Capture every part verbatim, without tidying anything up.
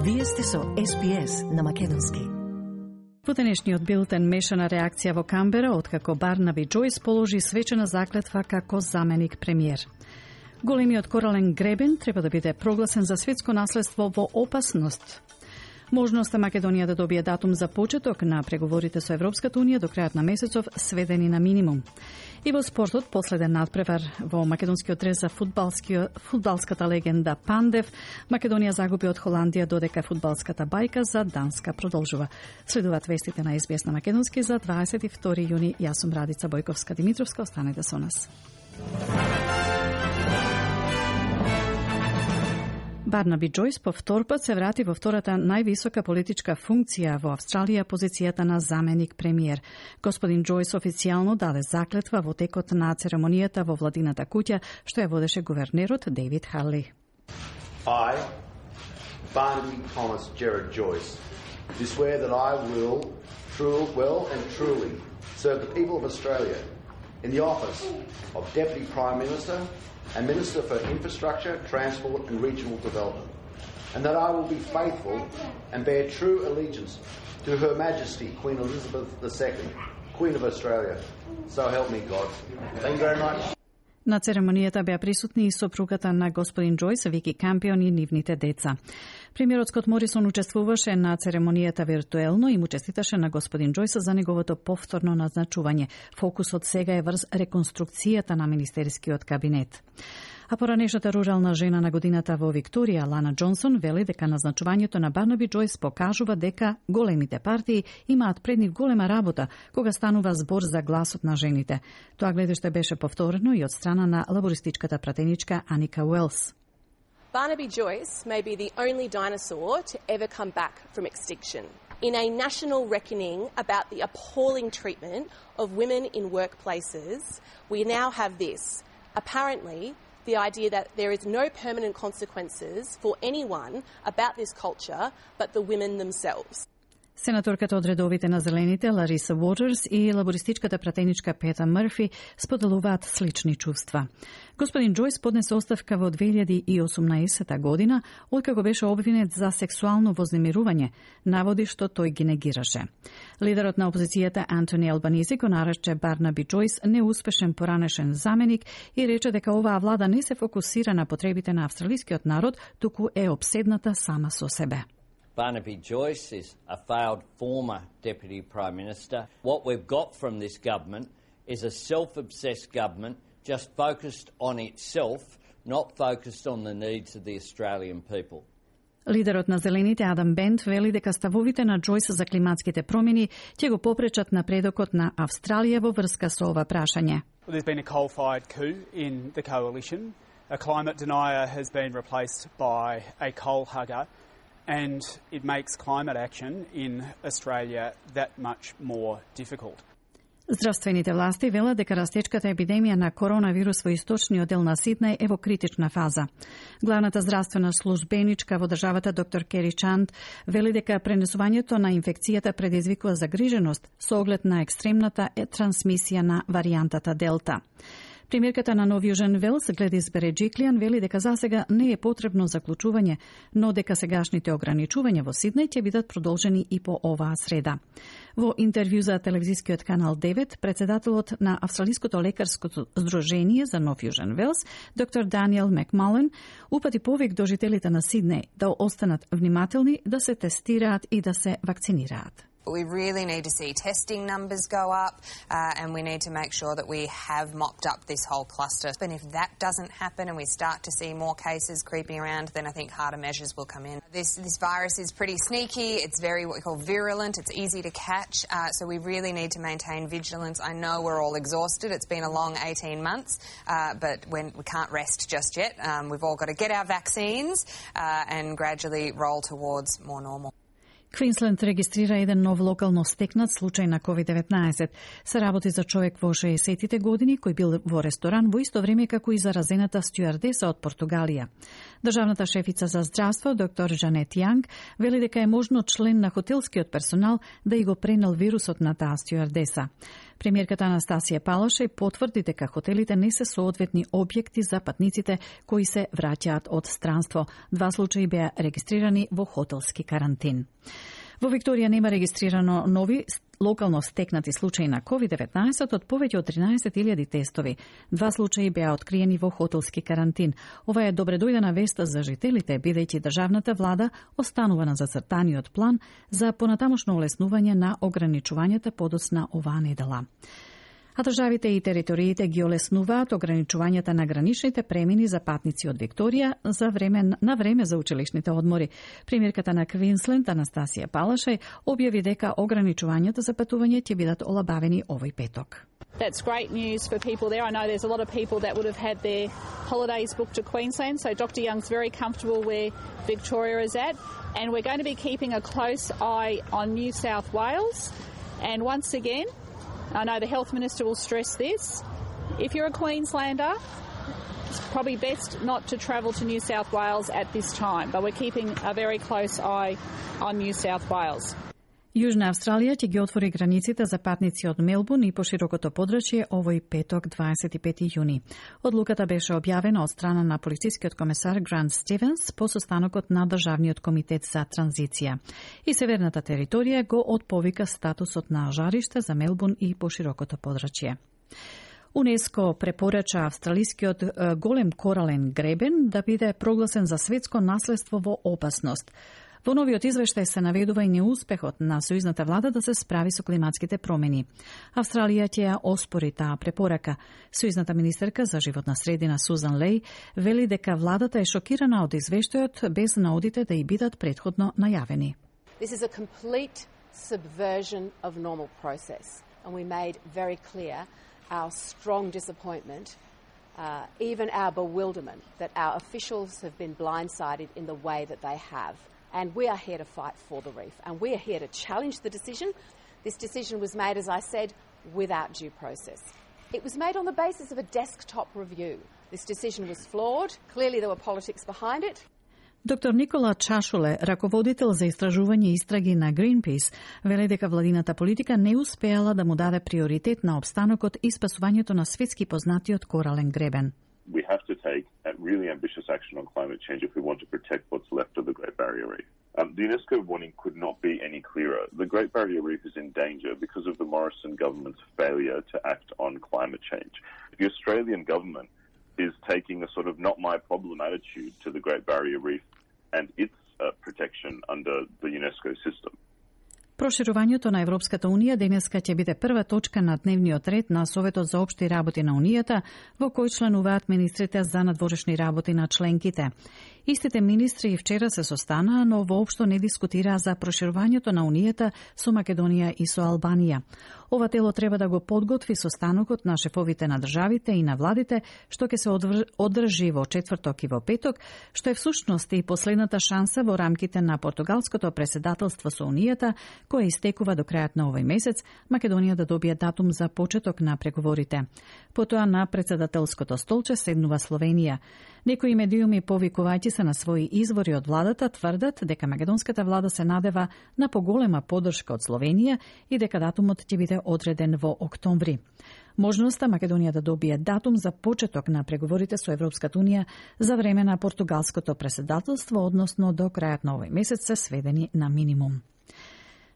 Вие сте со Ес Би Ес на македонски. Во денешниот билтен мешана реакција во Камбера, откако Барнаби Џојс положи свечена заклетва како заменик премиер. Големиот корален гребен треба да биде прогласен за светско наследство во опасност. Можноста Македонија да добие датум за почеток на преговорите со Европската Унија до крајот на месецов сведени на минимум. И во спортот последен надпревар во македонскиот рез за фудбалската легенда Пандев. Македонија загуби од Холандија, додека фудбалската бајка за Данска продолжува. Следуваат вестите на Ес Би Ес на македонски за дваесет и втори јуни. Јас сум Радица Бојковска-Димитровска. Останете со нас. Барнаби Џојс по втор пат се врати во втората највисока политичка функција во Австралија, позицијата на заменик премиер. Господин Џојс официјално даде заклетва во текот на церемонијата во владината куќа, што ја водеше гувернерот Дейвид Харли. I, Barnaby Thomas Gerard Joyce, do swear that I will true, well and truly serve the people of Australia in the office of Deputy Prime Minister and Minister for Infrastructure, Transport and Regional Development, and that I will be faithful and bear true allegiance to Her Majesty Queen Elizabeth the Second, Queen of Australia. So help me God. Thank you very much. На церемонијата беа присутни и сопругата на господин Џојс, Вики Кампион и нивните деца. Премиерот Скот Морисон учествуваше на церемонијата виртуелно и му честиташе на господин Џојс за неговото повторно назначување. Фокусот сега е врз реконструкцијата на министерскиот кабинет. А поранешната рурална жена на годината во Викторија, Лана Џонсон, вели дека назначувањето на Барнаби Џојс покажува дека големите партии имаат пред нив голема работа кога станува збор за гласот на жените. Тоа гледиште беше повторено и од страна на лабористичката пратеничка Аника Уелс. Barnaby Joyce may be the only dinosaur to ever come back from extinction. In a national reckoning about the appalling treatment of women in workplaces, we now have this. Apparently, the idea that there is no permanent consequences for anyone about this culture but the women themselves. Сенаторката од редовите на Зелените Лариса Уотерс и лабористичката пратеничка Пета Мрфи споделуваат слични чувства. Господин Џојс поднесе оставка во две илјади и осумнаесета година, откако беше обвинет за сексуално вознемирување, наводи што тој ги негираше. Лидерот на опозицијата Антони Албанизи го нарече Барнаби Џојс неуспешен поранешен заменик и рече дека оваа влада не се фокусира на потребите на австралискиот народ, туку е обседната сама со себе. Barnaby Joyce is a failed former Deputy Prime Minister. What we've got from this government is a self-obsessed government just focused on itself, not focused on the needs of the Australian people. Лидерот на Зелените Адам Бент вели дека ставовите на Џојс за климатските промени ќе го попречат напредокот на Австралија во врска со ова прашање. Well, there's been a coal-fired coup in the coalition. A climate denier has been replaced by a coal hugger. And it makes climate action in Australia that much more difficult. Здравствените власти велат дека растечката епидемија на коронавирус во источниот дел на Сиднеј е во критична фаза. Главната здравствена службеничка во државата доктор Кери Чанд вели дека пренесувањето на инфекцијата предизвикува загриженост со оглед на екстремната трансмисија на варијантата Делта. Премиерката на Нов Јужен Велс, Гледис Береџиклијан, вели дека засега не е потребно заклучување, но дека сегашните ограничувања во Сиднеј ќе бидат продолжени и по оваа среда. Во интервју за телевизискиот канал девет, председателот на Австралиското лекарско здружение за Нов Јужен Велс, доктор Даниел Макмален, упати повик до жителите на Сиднеј да останат внимателни, да се тестираат и да се вакцинираат. We really need to see testing numbers go up uh, and we need to make sure that we have mopped up this whole cluster. And if that doesn't happen and we start to see more cases creeping around, then I think harder measures will come in. This, this virus is pretty sneaky. It's very what we call virulent. It's easy to catch. Uh, so we really need to maintain vigilance. I know we're all exhausted. It's been a long eighteen months, uh, but when we can't rest just yet. Um, we've all got to get our vaccines uh, and gradually roll towards more normal. Квинсленд регистрира еден нов локално стекнат случај на ковид деветнаесет. Се работи за човек во шеесеттите години кој бил во ресторан во исто време како и заразената стюардеса од Португалија. Државната шефица за здравство, доктор Жанет Јанг, вели дека е можно член на хотелскиот персонал да и го пренел вирусот на таа стюардеса. Премиерката Анастасија Палашај потврди дека хотелите не се соодветни објекти за патниците кои се враќаат од странство. Два случаи беа регистрирани во хотелски карантин. Во Викторија нема регистрирано нови локално стекнати случаи на ковид деветнаесет од повеќе од тринаесет илјади тестови. Два случаи беа откриени во хотелски карантин. Ова е добредојдена вест за жителите, бидејќи државната влада останува на зацртаниот план за понатамошно олеснување на ограничувањата подоцна оваа недела. А државите и териториите ги олеснуваат ограничувањата на граничните премини за патници од Викторија за време, на време за училишните одмори. Премиерката на Квинсленд Анастасија Палашај објави дека ограничувањата за патување ќе бидат олабавени овој петок. That's great news for people there. I know there's a lot of people that would have had their holidays booked to Queensland, so Doctor Young's very comfortable where Victoria is at, and we're going to be keeping a close eye on New South Wales. And once again, I know the Health Minister will stress this. If you're a Queenslander, it's probably best not to travel to New South Wales at this time, but we're keeping a very close eye on New South Wales. Јужна Австралија ќе ги отвори границите за патници од Мелбурн и поширокото подрачје овој петок дваесет и пети јуни. Одлуката беше објавена од страна на полицискиот комесар Грант Стивенс по состанокот на Државниот комитет за транзиција. И северната територија го отповика статусот на жариште за Мелбурн и поширокото подрачје. УНЕСКО препорача австралискиот голем корален гребен да биде прогласен за светско наследство во опасност. Во новиот извештај се наведува и неуспехот на сојузната влада да се справи со климатските промени. Австралија ќе ја оспори таа препорака. Сојузната министерка за животна средина Сузан Леј вели дека владата е шокирана од извештајот без наодите да и бидат претходно најавени. This is a complete subversion of normal process, and we made very clear our strong disappointment, uh, even our bewilderment that our officials have been blindsided in the way that they have. And we are here to fight for the reef, and we are here to challenge the decision. This decision was made, as I said, without due process. It was made on the basis of a desktop review. This decision was flawed. Clearly there were politics behind it. Доктор Никола Чашуле, раководител за истражување и истраги на Greenpeace, вели дека владината политика не успеала да му даде приоритет на обстанокот и спасувањето на светски познатиот корален гребен. We have to take really ambitious action on climate change if we want to protect what's left of the Great Barrier Reef. Um, the UNESCO warning could not be any clearer. The Great Barrier Reef is in danger because of the Morrison government's failure to act on climate change. The Australian government is taking a sort of not my problem attitude to the Great Barrier Reef and its uh, protection under the UNESCO system. Проширувањето на Европската Унија денеска ќе биде прва точка на дневниот ред на Советот за општи работи на Унијата, во кој членуваат министрите за надворешни работи на членките. Истите министри и вчера се состанаа, но воопшто не дискутираа за проширувањето на Унијата со Македонија и со Албанија. Ова тело треба да го подготви состанокот на шефовите на државите и на владите, што ќе се одржи во четврток и во петок, што е всушност и последната шанса во рамките на португалското преседателство со Унијата, кој истекува до крајот на овој месец, Македонија да добие датум за почеток на преговорите. Потоа на председателското столче седнува Словенија. Некои медиуми повикувајќи се на своји извори од владата тврдат дека македонската влада се надева на поголема поддршка од Словенија и дека датумот ќе биде одреден во октомври. Можноста Македонија да добие датум за почеток на преговорите со Европската Унија за време на португалското преседателство, односно до крајот на овој месец, се сведени на минимум.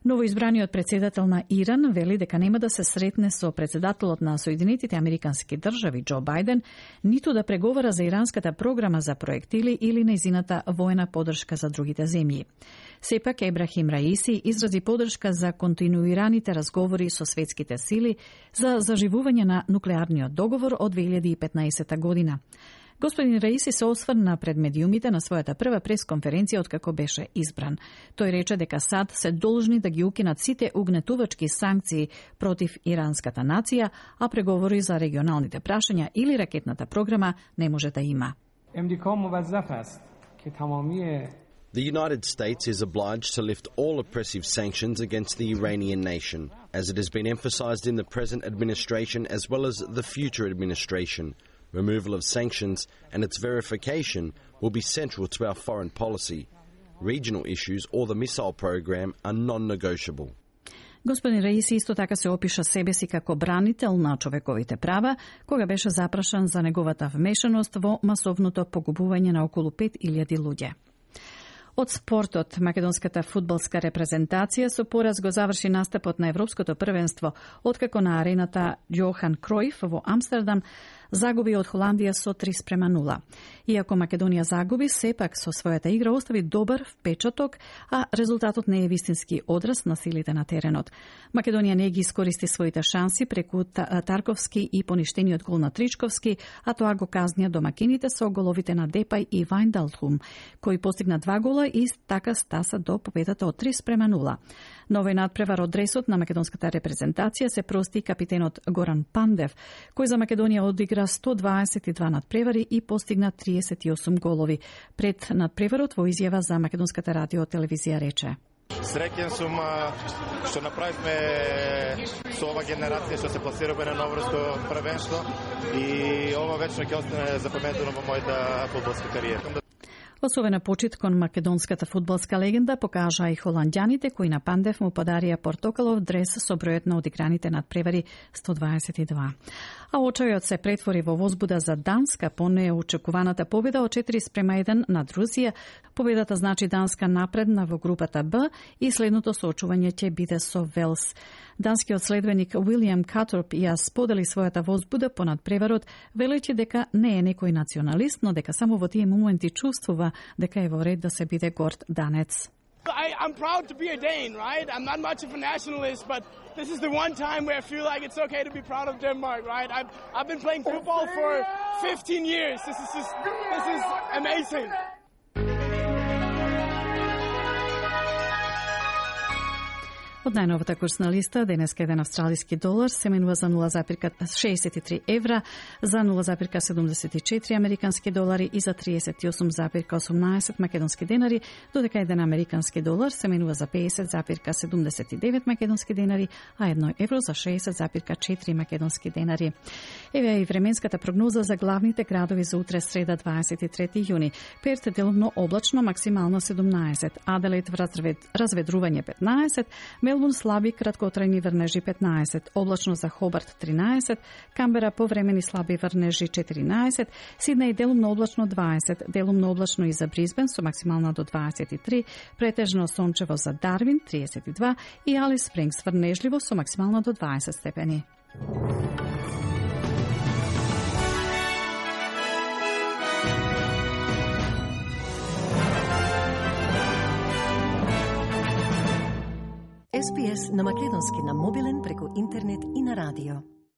Новоизбраниот председател на Иран вели дека нема да се сретне со председателот на Соединетите Американски држави Џо Бајден, ниту да преговара за иранската програма за проектили или нејзината воена поддршка за другите земји. Сепак Ебрахим Раиси изрази поддршка за континуираните разговори со светските сили за заживување на нуклеарниот договор од две илјади и петнаесета година. Господин Раиси се осврна пред медиумите на својата прва пресконференција откако беше избран. Тој рече дека САД се должни да ги укинат сите угнетувачки санкции против иранската нација, а преговори за регионалните прашања или ракетната програма не може да има. The United States is obliged to lift all oppressive sanctions against the Iranian nation, as it has been emphasized in the present administration as well as the future administration. Removal of sanctions and its verification will be central to our foreign policy. Regional issues or the missile program are non-negotiable. Господин Раиси исто така се опиша себе си како бранител на човековите права, кога беше запрашан за неговата вмешаност во масовното погубување на околу пет илјади луѓе. Од спортот, македонската фудбалска репрезентација со пораз го заврши настапот на Европското првенство, откако на арената Јохан Кројф во Амстердам загуби од Холандија со три спрема нула. Иако Македонија загуби, сепак со својата игра остави добар впечаток, а резултатот не е вистински одраз на силите на теренот. Македонија не ги искористи своите шанси преку Тарковски и поништениот гол на Тричковски, а тоа го казнија домакините со головите на Депај и Вајндалхум, кои постигна два гола и така стаса до победата од три спрема нула. На овој надпревар од дресот на македонската репрезентација се прости капитенот Горан Пандев, кој за Македонија одигра сто дваесет и два надпревари и постигна триесет и осум голови. Пред надпреварот во изјава за македонската радио телевизија рече: Среќен сум што направивме со ова генерација што се пласираме на новорско првенство и ова вечно ќе остане запаметено во мојата фудбалска кариера. Особена почит кон македонската фудбалска легенда покажа и холандјаните кои на Пандев му подарија портокалов дрес со бројот на одиграните надпревари сто дваесет и два. А очајот се претвори во возбуда за Данска по неочекуваната победа од четири спрема еден над Русија. Победата значи Данска напредна во групата Б и следното соочување ќе биде со Велс. Данскиот следбеник Уилијам Каторп ја сподели својата возбуда по надпреварот, велејќи дека не е некој националист, но дека само во тие моменти чувствува дека е во ред да се биде горд данец. I, I'm proud to be a Dane, right? I'm not much of a nationalist, but this is the one time where I feel like it's okay to be proud of Denmark, right? I've, I've been playing football for fifteen years. This is just, this is amazing. Од најновата курсна листа, денеска еден австралиски долар се менува за нула зарез шеесет и три евра, за нула зарез седумдесет и четири американски долари и за триесет и осум зарез осумнаесет македонски денари, додека еден американски долар се менува за педесет зарез седумдесет и девет македонски денари, а едно евро за шеесет зарез четири македонски денари. Еве и временската прогноза за главните градови за утре среда дваесет и трети јуни. Перт делумно облачно, максимално седумнаесет, Аделаид развед, разведрување петнаесет, Мелбурн слаби краткотрајни врнежи петнаесет, облачно за Хобарт тринаесет, Камбера повремени слаби врнежи четиринаесет, Сиднеј делумно облачно дваесет, делумно облачно и за Брисбен со максимална до дваесет и три, претежно сончево за Дарвин триесет и два и Алис Спрингс врнежливо со максимална до дваесет степени. Ес Би Ес на македонски на мобилен преку интернет и на радио.